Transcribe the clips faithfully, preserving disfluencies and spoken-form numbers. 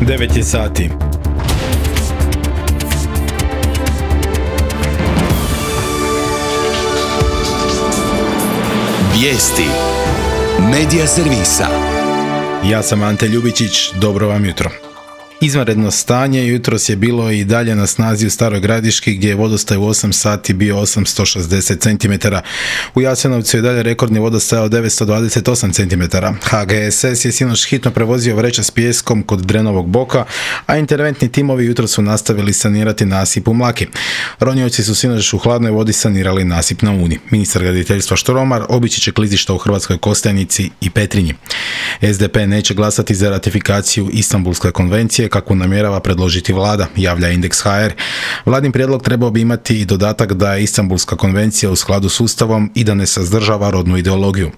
devet je sati. Vijesti Medija servisa. Ja sam Ante Ljubičić, dobro vam jutro. Izvanredno stanje jutros je bilo i dalje na snazi u Staroj Gradiški gdje je vodostaj u osam sati bio osamsto šezdeset centimetara. U Jasenovcu je dalje rekordni vodostaj od devetsto dvadeset osam centimetara. H G S S je sinoć hitno prevozio vreće s pijeskom kod Drenovog boka, a interventni timovi jutros su nastavili sanirati nasip u Mlaki. Ronioci su sinoć u hladnoj vodi sanirali nasip na Uni. Ministar graditeljstva Štromar obići će klizišta u Hrvatskoj Kostajnici i Petrinji. S D P neće glasati za ratifikaciju Istanbulske konvencije kakvu namjerava predložiti vlada, javlja Indeks H R. Vladin prijedlog trebao bi imati i dodatak da je Istanbulska konvencija u skladu s Ustavom i da ne sadržava rodnu ideologiju.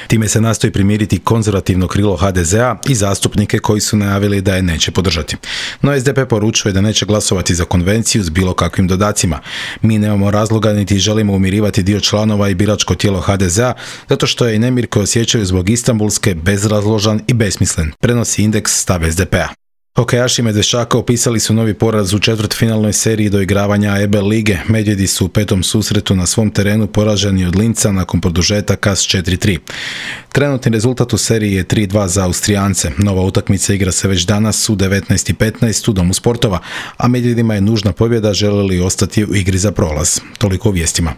Time se nastoji primiriti konzervativno krilo H D Z A i zastupnike koji su najavili da je neće podržati. No S D P poručuje da neće glasovati za konvenciju s bilo kakvim dodacima. Mi nemamo razloga niti želimo umirivati dio članova i biračko tijelo H D Z A zato što je i nemir koji osjećaju zbog Istanbulske bezrazložan i besmislen, prenosi Indeks stav S D P-a. Hokejaši Medveščaka upisali su novi poraz u četvrtfinalnoj seriji doigravanja E B lige. Medvjedi su u petom susretu na svom terenu poraženi od Linca nakon produžetaka s četiri tri. Trenutni rezultat u seriji je tri dva za Austrijance. Nova utakmica igra se već danas u devetnaest i petnaest u Domu sportova, a Medvjedima je nužna pobjeda žele li ostati u igri za prolaz. Toliko u vijestima.